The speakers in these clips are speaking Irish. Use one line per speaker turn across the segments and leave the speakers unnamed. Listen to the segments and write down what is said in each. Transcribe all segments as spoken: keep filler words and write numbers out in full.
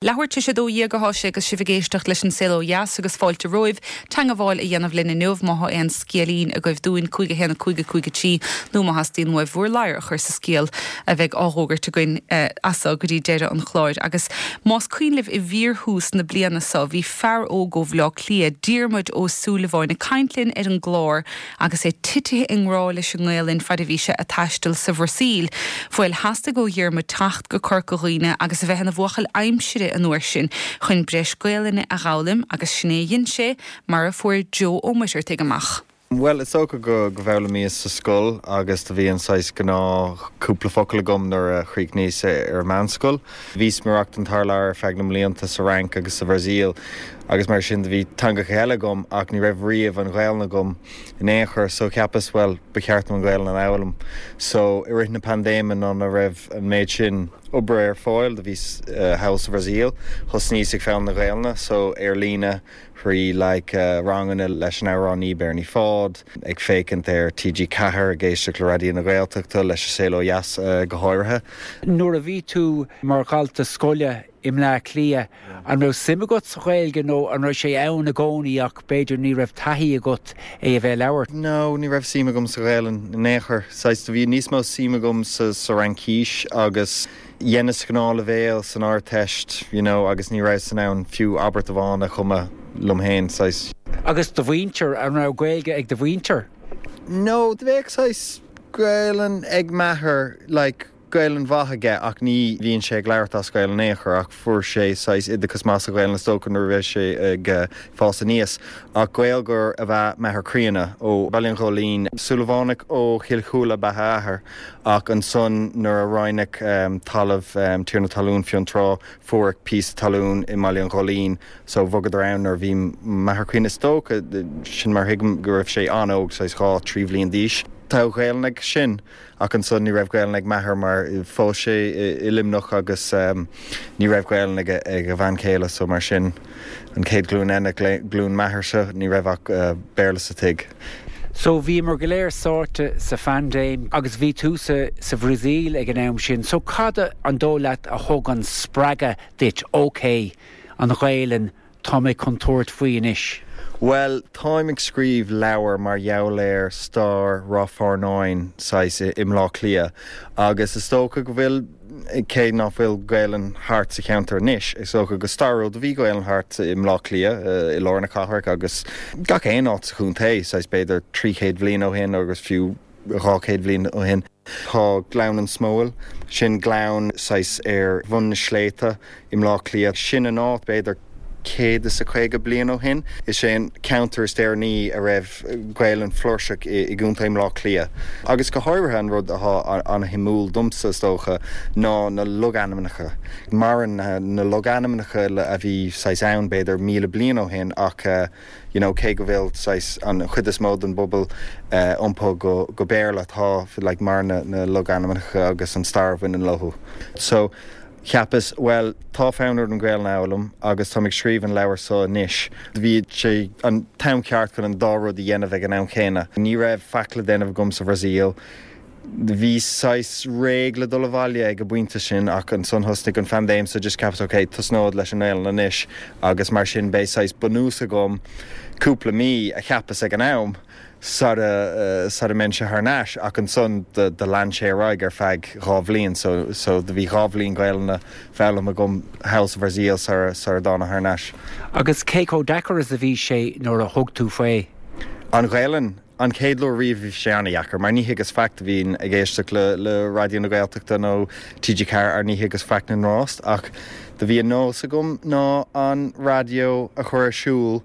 Leathuair tar éis a dó dhéag atá sé agus sibh ag éisteacht leis an Saol Ó Dheas agus fáilte romhaibh teagmháil a dhéanamh linn inniu má tá aon scéilín agaibh dúinn cúig a haon a cúig a cúig a trí nó má theastaíonn uaibh bhur ladhar a chur sa scéal a bheidh á fhógairt againn eh, as seo go dtí deireadh an chláir. Agus más cuimhin libh i bhfíorthús na bliana seo bhí fear óg ó Bhaile Átha Cliath Diarmuid Ó Súilleabháin ag caint linn ar an gclár agus é titithe i ngrá leis an nGaelainn fad a bhí sé ag taisteal sa Bhrasaíl. Bhuel theastaigh ó Dhiarmuid teacht go Corca Dhuibhne agus a bheith ina bhuachaill aimsire an uair sin chun breis Gaelainne a fhoghlaim agus sin é a dhein sé mar a fuair Joe Ó Muircheartaigh amach.
Well is dócha go go bhfoghlaimíos sa scoil agus do bhí an saghas gnáthchúpla focal agam nuair a chríochnaíos ar meánscoil. Bhíos ag maireachtáil thar lear ar feadh na mblianta sa Fhrainc agus sa Bhrasaíl agus mar sin do bhí teangacha eile agam ach ní raibh riamh an Ghaelainn agam in aon chor so cheapas well ba cheart an Ghaelainn a fhoghlaim. So i rith na paindéime ná na raibh an méid sin oibre ar fáil do bhíos uh, thall sa Bhrasaíl, thosnaíos ag foghlaim na Gaeilge so ar líne thrí like, uh, ranganna leis an amhránaí Bernie Fád, ag féachaint ar TG Ceathair ag éisteacht le Raidió na Gaeltachta leis an Saol Ó Dheas uh, go háirithe.
Nuair a bhí tú mar dhalta scoile i mBleá Cliath an raibh suim agat sa Ghaeilge nó an raibh sé ann i gcónaí ach b'fhéidir ní raibh taithí agat é a bheith labhairt.
No, ní raibh suim agam sa Ghaelainn in aon chor. Saghas do bhí níos mó suim agam sa sa Fhraincis agus dheineas gnáthleibhéal san Ardteist, you know, agus ní raibh san ann fiú abairt amháin a chumadh liom féin saghas.
Agus do mhuintir an raibh Gaeilge ag do mhuintir?
No, do bheadh saghas Gaelainn ag m'athair like, Gaelainn mhaith aige ach ní bhíonn sé ag labhairt as Gaelainn aon chor ach fuair sé saghas oideachas maith sa Ghaelainn is dócha nuair a bhí sé ag uh, fás aníos ach Gaeilgeoir ab ea m'athair críonna ó Bhaile an Ghóilín Súilleabhánach ó Chill Chúile ab ea a athair ach ansan nuair a roinneadh um, talamh um, tiarna talún Fionntrá fuair píosa talún i mBaile an Ghóilín so bhogadar ann nuair bhí m'athair críonna is dócha sin mar thuigim go raibh sé an-óg saghas dhá trí bhliain d'aois. Tá Gaelainn aige sin ach ansan ní raibh Gaelainn ag m'athair mar phós sé i Luimneach agus um, ní raibh Gaelainn ag ag a bhean chéile so mar sin an chéad ghlúin eile glúin m'athairse ní raibh ach uh, Béarla sa tigh.
So bhíomar go léir sáite sa phaindéim agus bhí tú sa sa Bhrasaíl ag an am sin, so cad an dóigh leat a thug an spreagadh duit ok an Ghaelainn tá mé chun tabhairt faoi anois.
Well, táim ag scríobh leabhar mar gheall ar stair Ráth Fearnáin saghas i mBleá Cliath agus is dócha go bhfuil cé nach bhfuil Gaelainn thart sa cheantar anois is dócha go stairiúil do bhí Gaelainn thart i mBleá Cliath i lár na cathrach agus gach aon áit sa chontae saghas b'fhéidir trí chéad bhliain ó shin agus fiú dhá chéad bhliain ó shin. Tá Gleann an Smóil, sin gleann saghas ar bhun na sléibhte i mBleá Cliath, sin an áit b'fhéidir céad is a caoga bliain ó shin. Is sé an ceantar is deireanaí a raibh Gaelainn flúirseach i gContae Bhaile Átha Cliath. Agus go háirithe an rud atá an-shuimiúil domsa is dócha ná na logainmneacha. Maireann na logainmneacha a bhí saghas ann b'fhéidir míle bliain ó shin ach uh, you know, cé go bhfuil saghas an chuid is mó den bpobal uh, iompaithe go, go Béarla tá like, mar na, na logainmneacha agus an stair a bhaineann leo. So cheapas well tá fonn orm an Ghaelainn a fhoghlaim agus tá ag scríobh an leabhar seo anois. Bhí sé an t-am ceart chun an dá rud a dhéanamh ag an am chéanna. Ní raibh faic le déanamh agam sa Bhrasaíl. Bhí saghas réidh le dul abhaile ag an bpointe sin ach ansan thosnaigh an phaindéim so just cheapas ok tosnód leis an nGaelainn anois agus mar sin beidh saghas bunús agam cúpla mí a cheapas ag an am sar uh, sar a mbeinnse thar n-ais ach ansan do lean sé ar aghaidh ar feadh dhá bhliain so, so do bhí dhá bhliain Gaelainne foghlamtha agam thall sa Bhrasaíl sar sar dtána thar n-ais.
Agus cé chomh deacair is a bhí sé nuair a thug tú faoi.
An Ghaelainn an chéad lá riamh bhí sé an-deacair, mar ní thuigeas faic bhínn ag éisteacht le, le Raidió na Gaeltachta nó TG Ceathair ar ní thuigeas faic na ngrást ach do bhí an nós agam ná an raidió a chur ar siúl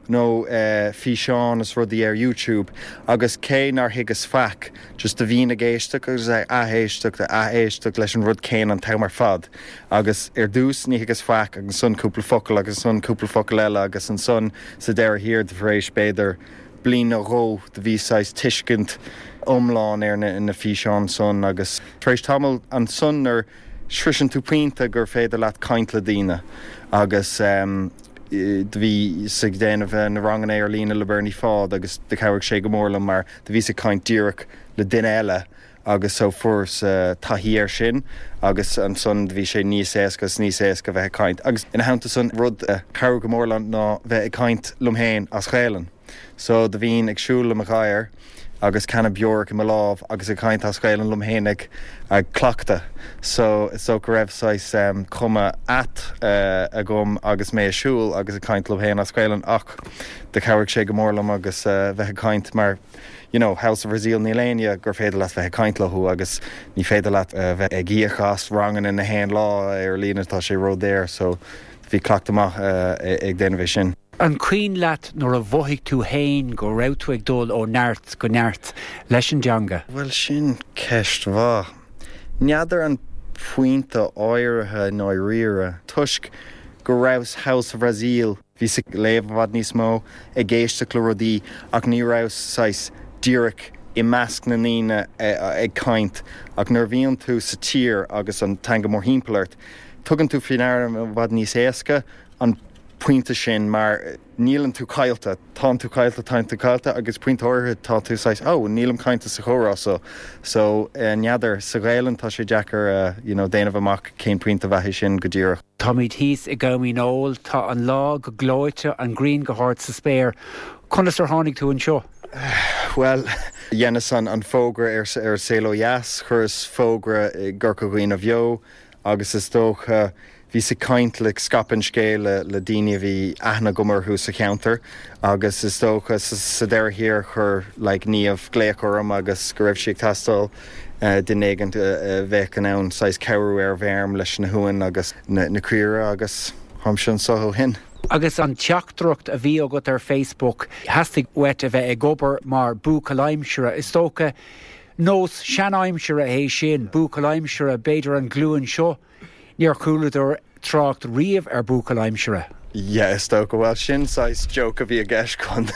nó uh, físeán is rudaí ar YouTube agus cé nár thuigeas faic just do bhínn ag éisteacht agus ag éisteacht ag éisteacht leis an rud céanna an t-am ar fad agus ar dtús ní thuigeas faic agus ansan cúpla focal agus ansan cúpla focal eile agus ansan sa deireadh thiar de éis b'fhéidir bliain nó dhó do bhí saghas tuiscint iomlán ar na, na físeán san agus tar éis tamall ansan nuair sroiseann tú pointe gur féidir leat caint le daoine agus um, do bhíos ag déanamh na ranganna ar líne le Bernie Fád agus do chabhraigh sé go mór liom mar do bhíos ag caint díreach le duine eile agus so fuaireas taithí air sin agus ansan bhí sé níos éasca is níos éasca bheith ag caint. Agus ina theannta san rud a chabhraigh go mór liom ná bheith ag caint liom féin as Gaelainn. So do bhínn ag siúl le mo ghadhar agus canna beorach i mo lámh agus ag caint as Gaelainn liom féin ag ag cleachtadh. So is dócha go raibh saghas um, cuma ait uh, agam agus mé ag siúl agus ag caint liom féin as Gaelainn ach do chabhraigh sé go mór liom agus uh, bheith ag caint mar you know, thall sa Bhrasaíl níl éinne gur féidir leat bheith ag caint leo agus ní féidir leat uh, bheith ag íoc as ranganna na haon lá ar líne tá sé ródhaor so bhí cleachtadh maith uh, ag déanamh é sin.
An cuimhin leat nuair a mhothaigh tú féin go raibh tú ag dul ó neart go neart leis an dteanga.
Well sin ceist mhaith. N'fheadar an pointe áirithe nó riire toisc go rabhas thall sa Bhrasaíl bhíos ag léamh i bhfad níos mó ag éisteacht le rudaí ach ní rabhas saghas díreach i measc na ndaoine ag caint ach nuair a bhíonn tú sa tír agus an teanga mórthimpeall ort. Tugann tú faoi deara i bhfad níos éasca an pointe sin mar níleann tú caillte tá tú caillte tá tú caillte agus pointe áirithe tá tú saghas ó nílim caillte sa chomhrá so so eh, n'fheadar sa Ghaelainn tá sé deacair uh, you know, déanamh amach cén pointe a bheith sin go díreach.
Táimid thíos i gCom Dhónaill tá an lá go gleoite an ghrian go hard sa spéir. Conas ar tháinig tú anseo?
Well, dheineas an an fógra ar ar Saol Ó Dheas, chuireas fógra i gCorca Dhuibhne Bheo agus is dócha bhíos ag caint le scaipeadh an scéil le, le daoine a bhí aithne agam orthu sa cheantar agus is dócha sa deireadh thiar chuir like, Niamh glaoch orm agus go raibh sí ag teastáil uh, duine éigin uh, bheith in ann saghas cabhrú ar bhfeirm leis na huain agus na, na caoirigh agus táimse anseo ó shin.
Agus an teachtaireacht a bhí agat ar Facebook theastaigh uait a bheith ag obair mar bhuachaill aimsire is dócha nós seanaimsire é sin buachaill aimsire b'fhéidir an ghlúin seo níor chualadar trácht riamh ar bhuachaill aimsire.
Yeah, is dócha well sin saghas joke a bhí i gceist chun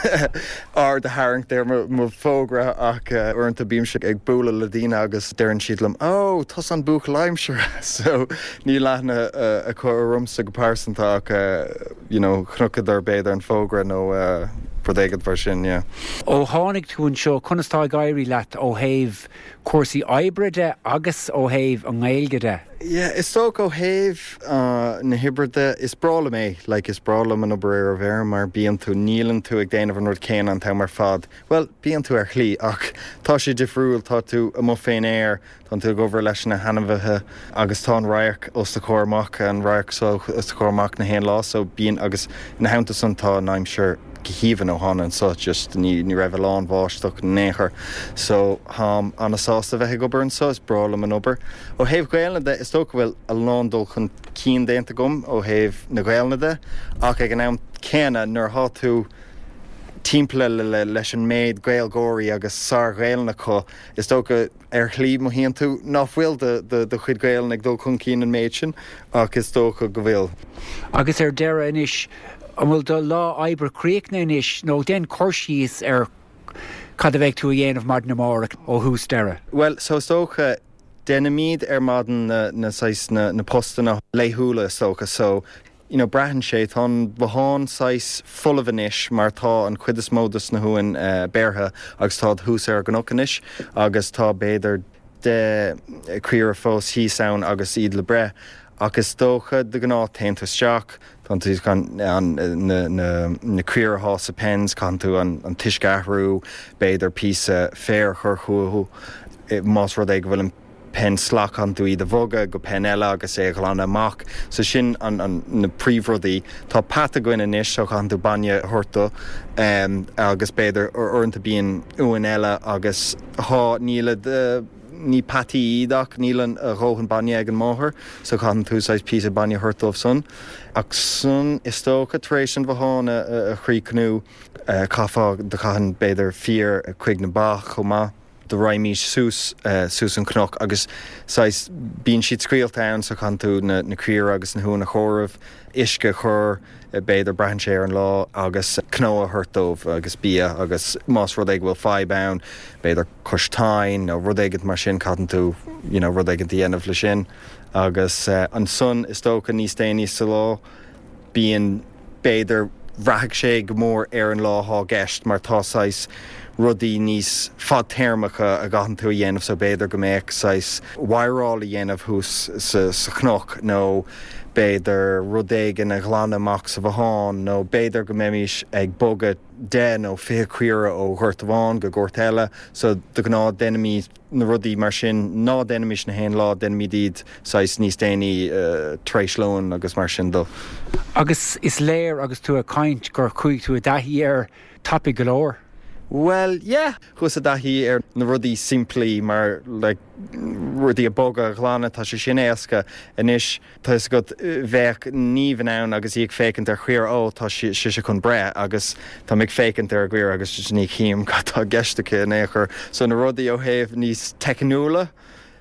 aird a tharraingt ar mo fógra ach uh, uaireanta bímse ag bualadh le daoine agus deireann siad liom ó tusa an buachaill aimsire so níl aithne uh, acu ormsa go pearsanta ach uh, you know, chonaiceadar b'fhéidir an fógra nó uh, rud éigin mar sin yeah.
Ó tháinig tú anseo conas tá ag éirí leat ó thaobh cúrsaí oibre de agus ó thaobh an Ghaeilge de.
Yeah, is dócha ó thaobh uh, na hoibre de is breá liom é like is breá liom an obair ar an bhfeirm mar bíonn tú níleann tú ag déanamh an rud céanna an t-am ar fad. Well, bíonn tú ar shlí ach tá sé difriúil tá tú amuigh fén aer, tá tú ag obair leis na hainmhithe agus tá an radharc os do chomhair amach an radharc so os do chomhair amach na haon lá so bíonn agus ina theannta san tá an aimsir go haoibhinn ó thána anseo just ní ní raibh lá báisteach in aon chor so táim an-sásta bheith ag obair anseo is breá liom an obair. Ó thaobh Gaeilge de is dócha go bhfuil a lán dul chun cinn déanta agam ó thaobh na Gaeilge de ach ag an am céanna nuair atá tú timpeall le, le, leis an méid Gaeilgeoirí agus sár-Ghaeilge acu is dócha ar shlí mothaíonn tú ná fuil do do chuid Gaeilge ag dul chun cinn an méid sin ach is dócha go bhfuil.
Agus ar deireadh anois an bhfuil do lá oibre críochnaithe anois nó déan cur síos ar cad a bheidh tú a dhéanamh maidin amárach ó thús deireadh.
Well, so is dócha déanaimid ar maidin na, na, na, na postanna laethúla is dócha so you know, braitheann sé tá bothán saghas folamh anois mar tá an chuid is mó dos na huain uh, beirthe agus tá thuas ar an gcnoc anois agus tá b'fhéidir deich caora fós thíos ann agus iad le breith ach is dócha de ghnáth téann tú isteach Tá tú an na, na, na caoirigh sa pens caithfidh tú an, an t-uisce a athrú, b'fhéidir píosa féir a chur chucu más rud é go bhfuil an pen salach caithfidh tú iad a bhogadh go pen eile agus é a ghlanadh amach, so sin an, an, na príomhrudaí. Tá peata againn anois so caithfidh tú bainne a thabhairt dó um, agus b'fhéidir uaireanta bíonn uain eile agus há níl uh, ní peataí iad ach níl an a dhóthain bainne ag an máthair, so caithfidh tú saghas píosa bainne a thabhairt dóibh san. Ach san is dócha tar éis an bothán a, a chríochnú caithfeá do chaithfinn b'fhéidir fir chuig na ba chomh maith. Do raghaimís suas uh, suas an cnoc agus saghas bíonn siad scaoilte ann so caithfidh tú na, na caoirigh agus na huain a chomhaireamh, uisce a chur b'fhéidir braitheann sé ar an lá agus cnó a thabhairt dóibh agus bia agus más rud é go bhfuil fadhb ann, b'fhéidir cois tine nó rud éigin mar sin caithfidh tú you know, rud éigin a dhéanamh le sin agus uh, ansan is dócha níos déanaí sa lá bíonn b'fhéidir Braithfidh sé go mór ar an lá atá i gceist mar tá saghas rudaí níos fadtéarmacha a gcaitheann tú a dhéanamh so b'fhéidir go mbeadh saghas wireáil a dhéanamh thuas sa sa chnoc nó b'fhéidir rud éigin a ghlanadh amach sa bhothán nó b'fhéidir go mbeimis ag bogadh deich nó fiche caora ó ghort amháin go gort eile so de ghnáth déanaimid na rudaí mar sin ná déanaimis na haon lá déanaimid iad saghas níos déanaí uh, tar éis lóin agus mar sin dó.
Agus is léir agus tú ag caint gur chuaigh tú i dtaithí air tapaidh go leor.
Well, yeah, chuas i dtaithí ar na rudaí simplí mar like, rudaí a bhogadh a ghlanadh tá sé sin éasca anois tá a fhios agat bheadh Niamh in ann agus í ag féachaint ar chaora ó tá sí sé chun breith agus tá ag féachaint ar chaora agus ní chím cad tá i gceist aici in aon chor so na rudaí ó thaobh níos teicniúla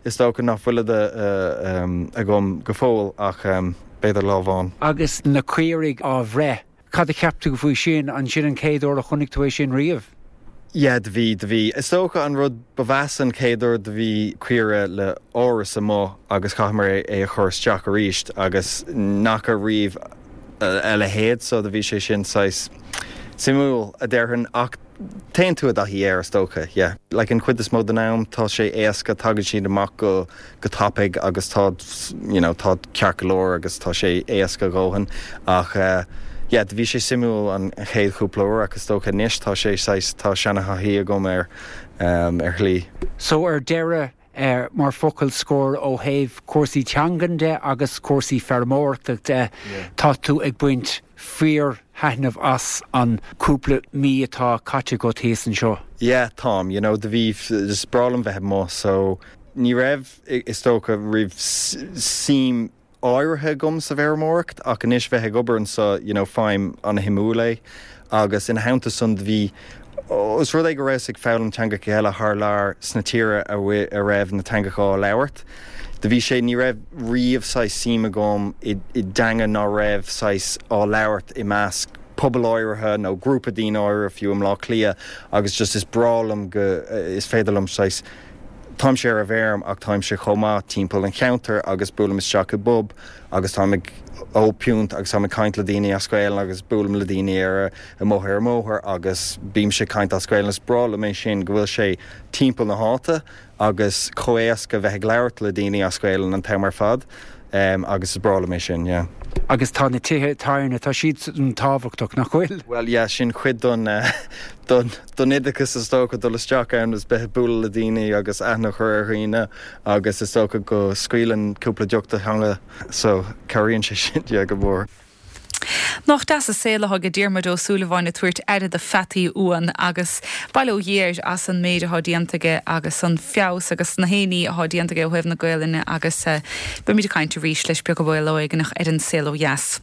is dócha nach bhfuil uh, um, agam go fóill ach um, b'fhéidir lá amháin.
Agus na caoirigh á bhreith, Cad a cheap tú faoi sin an sin an chéad uair a chonaic tú é sin riamh?
Yeah, do bhí do bhí. Is dócha an rud ba mheasa an chéad uair do bhí caora le áras amuigh agus chaitheamar é a chur isteach arís agus nach riamh a leithéid so do bhí sé sin saghas suimiúil a déarfainn ach téann tú i dtaithí air is dócha, yeah. Like an chuid is mó den am tá sé éasca tagann siad amach go go tapaidh agus tá you know, tá ceart go leor agus tá sé éasca a dhóthain ach uh, yeah, bhí sé suimiúil an chéad chúpla uair agus dócha anois tá sé tá seanathaí agam ar um, ar shlí.
So ar deireadh uh, mar focal scoir ó thaobh cúrsaí teangan de agus cúrsaí feirmeoireachta de yeah. tá tú ag baint fíor thaitneamh as an cúpla mí atá caite agat thíos anseo.
Yeah, táim, you know, do bhí is breá liom bheith amuigh so ní raibh is dócha riamh suim áirithe agam sa bhfeirmeoireacht ach anois bheith ag obair anseo you know, faighim an-shuimiúil é agus ina theannta san bhí Os rud é go raibh ag foghlaim teangacha eile thar lear sna tíortha a raibh na teangacha á labhairt. Do bhí sé ní raibh riamh saghas suim agam i dteanga ná raibh saghas á labhairt i measc pobal áirithe nó grúpa daoine áirithe fiú i mBleá Cliath agus just is breá liom go is féidir liom saghas Táimse ar an bhfeirm ach táimse chomh maith timpeall an cheantair agus buailim isteach i bpub agus táim ag ól piúnt agus táim ag caint le daoine as Gaeilge agus buailim le daoine ar amuigh ar an mbóthar agus bímse ag caint as Gaeilge is breá liom é sin go bhfuil sé timpeall na háite agus chomh héasca bheith ag labhairt le daoine as Gaeilge an t-am ar fad um, agus is breá liom é sin, yeah.
Agus tá na tithe tábhairne tá siad tábhachtach nach bhfuil.
Well yeah, sin cuid don uh, don don oideachas is dócha dul isteach ann is bheith bualadh le daoine agus aithne a chur ar dhaoine agus is dócha go scaoileann cúpla deoch do theanga so cabhraíonn sé sin yeah, go mór.
Nach deas an saol atá ag Diarmuid Ó Súilleabháin ag tabhairt aire do pheataí uan agus bail ó Dhia air as an méid atá déanta aige agus an feabhas agus na héiní atá déanta aige ó thaobh na Gaelainne agus uh, beimid ag caint arís leis beag ó éigeanach ar an Saol Ó Dheas.